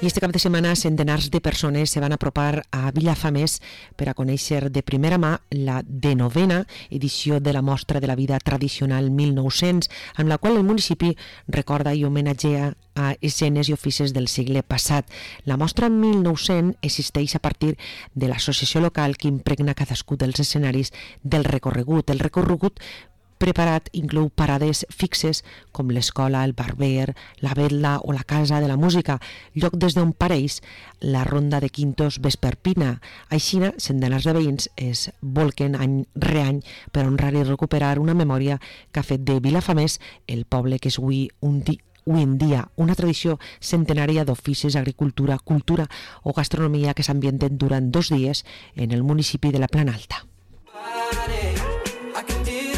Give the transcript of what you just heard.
I este cap de setmana centenars de persones se van apropar a Vilafamés per a conèixer de primera mà la 19a edició de la Mostra de la Vida Tradicional 1900, amb la qual el municipi recorda i homenatgea a escenes i oficis del segle passat. La Mostra 1900 existeix a partir de l'associació local que impregna cadascun dels escenaris del recorregut. El recorregut preparat inclou parades fixes com l'escola, el barber, la vetla o la casa de la música, lloc des d'on pareix la ronda de quintos vesperpina. Així, centenars de veïns es volquen any re any per honrar i recuperar una memòria que ha fet de Vilafamés el poble que és avui en dia una tradició centenària d'oficis, agricultura, cultura o gastronomia que s'ambienten durant 2 dies en el municipi de la Plana Alta.